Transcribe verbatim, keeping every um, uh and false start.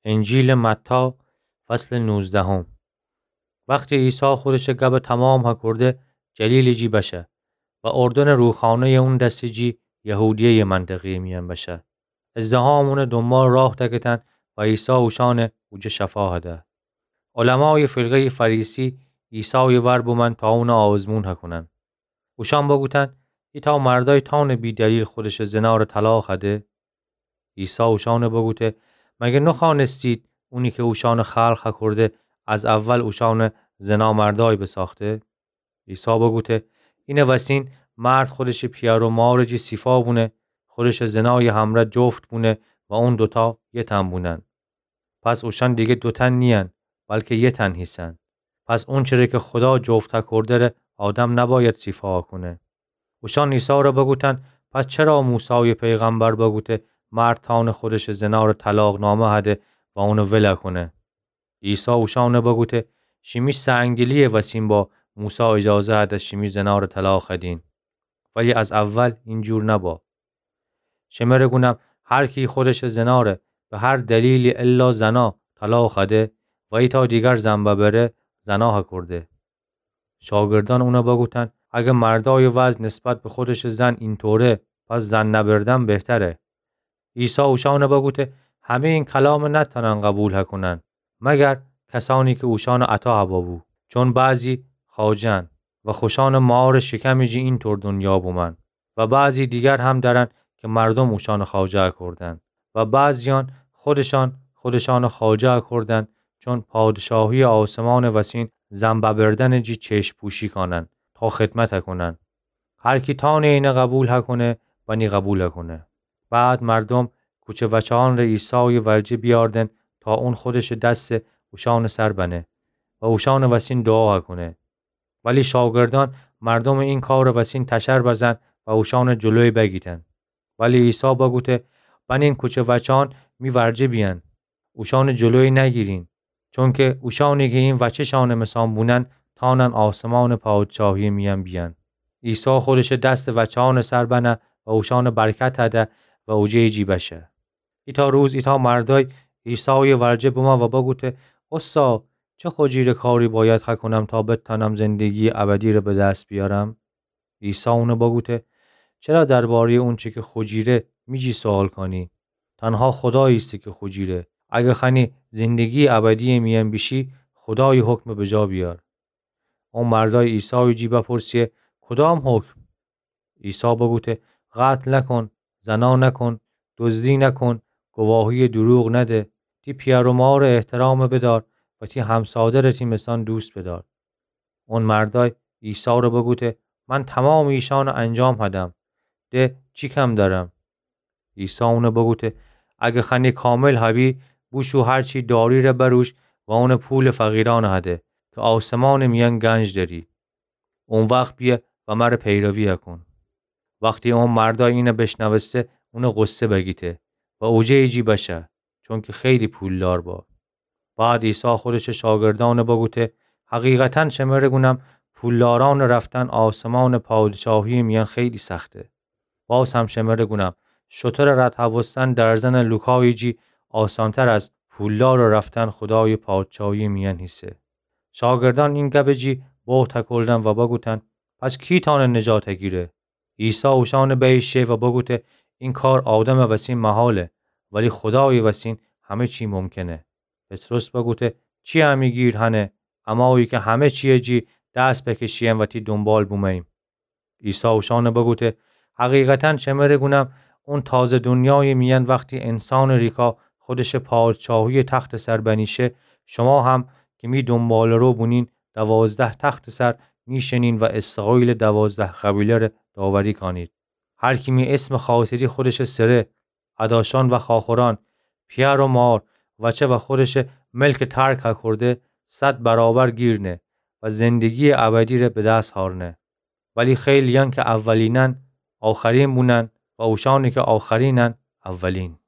انجیلٚ متی، فصلٚ نوزدهم. وختی عیسی خودشٚ گب تمام هکرده، جلیلٚ جی بشه و اردنٚ روخانه‌یٚ اون دستٚ جی یهودیه‌یٚ منطقه‌یٚ میأن بشه. ازدحام اونٚ دونبال راه دکتن و عیسی اوشأنٚ اوجه شفا هده. علمایٚ فرقه‌یٚ فریسی عیسایٚ ور بومأن تا اونَ آزمون هکونن. اوشأن بگوتن: ایتأ مردأی تأنه بی‌دلیل خودشٚ زنارَ طلاق هده؟ عیسی اوشأنَ بگوته: مگر نخوأنستید اونی کی اوشأنَ خلق هکرده، از اول اوشأنَ زنامردأی بساخته؟ عیسی بگوته: اینه وسین مرد خودشٚ پیأر و مارٚ جی سیفا بونه، خودشٚ زنایٚ همرأ جفت بونه و اون دوتأ یه تن بونن. پس اوشأن دیگر دو تن نیین، بلکه یه تن هیسن. پس اونچره کی خودا جفت هکرده‌ره آدم نباید سیفا هکونه. اوشأن عیسی‌ره بگوتن: پس چرا موسایٚ پیغمبر بگوته مرد تأنه خودشٚ زنارَ طلاق‌نامه هده و اونَ ول هکونه؟ عیسی اوشأنَ بگوته: شیمی سنگدلی‌یٚ وسین با موسی ایجازه هده شیمی زنارَ طلاق هدین. ولی از اول اینجور نبا. شمره گونم، هر کی خودشٚ زنارَ به هر دلیلی الا زنا طلاق هده و ایتأ دیگر زن ببره، زنا هکرده. شاگردأن اونَ بگوتن: اگه مردأیٚ وضع نسبت به خودشٚ زن اینطوره، پس زن نبردن بهتره. عیسی اوشأنَ بگوته: همه‌یٚ این کلامَ نتأنن قبول هکونن، مگر کسأنی کی اوشأنَ عطا هبه بو. چون بعضی خواجه‌ن و خوشأنٚ مارٚ شکمٚ جی اینطور دنیا بومن و بعضی دیگر هم دأرن کی مردوم اوشأنَ خواجه هکردن و بعضیأن خودشأن خودشأنَ خواجه هکردن، چون پادشاهی‌یٚ آسمانٚ وسین زن ببردنٚ جی چشم‌پوشی کانن تا خدمت هکونن. هر کی تأنه اینَ قبول هکونه، بنی قبول هکونه. بعد مردوم کوچه وچه‌یأنَ عیسایٚ ورجه بیأردن تا اون خودشٚ دسَ اوشأنٚ سر بنه و اوشأنٚ وسین دوعا هکونه. ولی شاگردأن مردومٚ این کارٚ وسین تشر بزن و اوشأنٚ جلوی بگیتن. ولی عیسی بگوته: بنین کوچه وچه‌یأن می ورجه بیأن. اوشأنٚ جلوی نگیرین. چونکی اوشأنی کی این وچه‌شأنٚ مثان بونن، تأنن آسمانٚ پادشاهی‌یٚ میأن بیأن. عیسی خودشٚ دسَ وچه‌یأنٚ سر بنه و اوشأنَ برکت هده و اوجه‌یٚ جی بشه. ایتأ روز ایتأ مردأی عیسایٚ ورجه بمه و بگوته: اوستا، چه خوجیره کاری باید هکونم تا بتأنم زندگی‌یٚ ابدی‌ره به دس بیأرم؟ عیسی اونَ بگوته: چرا درباره‌یٚ اونچه کی خوجیره می جی سؤال کانی؟ تنها خودا ایسه کی خوجیره. اگه خوأنی زندگی‌یٚ ابدی‌یٚ میأن بیشی، خودایٚ حکمَ بجا بیأر. او مردأی عیسایٚ جی بپرسه: کدام حکم؟ عیسی بگوته: قتل نکن، زنا نکن، دزدی نکن، گواهی‌یٚ دروغ نده، تی پیأر و مارٚ احترامَ بدار و تی همسادرَ تی مثان دوست بدار. اون مردأی عیسی‌ره بگوته: من تومامٚ ایشأنَ انجام هدم، ده چی کم دأرم؟ عیسی اونَ بگوته: اگه خوأنی کامل هبی، بوشو هر چی داری‌ره بروش و اونٚ پولٚ فقیرأنَ هده کی آسمانٚ میأن گنج دأری. او وخت بیه و مرَ پیروی هکون. وختی او مردأی اینَ بشنوسته، اونٚ غصه بگیته و اوجه‌یٚ جی بشه، چونکی خیلی پولدار با. بعد عیسی خودشٚ شاگردأنَ بگوته: حقیقتاً شمرَ گونم، پولدارأنٚ رفتن آسمانٚ پادشاهی‌یٚ میأن خیلی سخته. باز هم شمرَ گونم، شترٚ رد هبستن درزنٚ لوکایٚ جی آسانتر از پولدارٚ رفتن خودایٚ پادشاهی‌یٚ میأن هیسه. شاگردأن این گبٚ جی بهت هکلدن و بگوتن: پس کی تأنه نجات هگیره؟ عیسی اوشأنَ بیشه و بگوته: این کار آدمٚ وسین محاله، ولی خودایٚ وسین همه چی ممکنه. پطرس بگوته: چی امی گیر هنه، امایی کی همه چی‌یٚ جی دست بکشیم و تی دونبال بومه‌ییم؟ عیسی اوشأنَ بگوته: حقیقتاً شمرَ گونم، اون تازه دونیایٚ میأن وختی انسانٚ ریکا خودشٚ پادشاهی‌یٚ تختٚ سر بنیشه، شما هم کی می دونباله‌رو بونین، دوازده تختٚ سر نیشینین و اسرائیلٚ دوازده قبیله‌ره داوری کانید. هر کی می اسمٚ خاطری خودشٚ سره، اداشأن و خواخورأن، پیأر و مار، وچه و خودشٚ ملکَ ترک هکرده، صد برابر گیر نه و زندگی‌یٚ ابدی‌ره به دس هارنه. ولی خیلی‌یأن کی اولینن، آخرین بونن و اوشأنی کی آخرینن، اولین.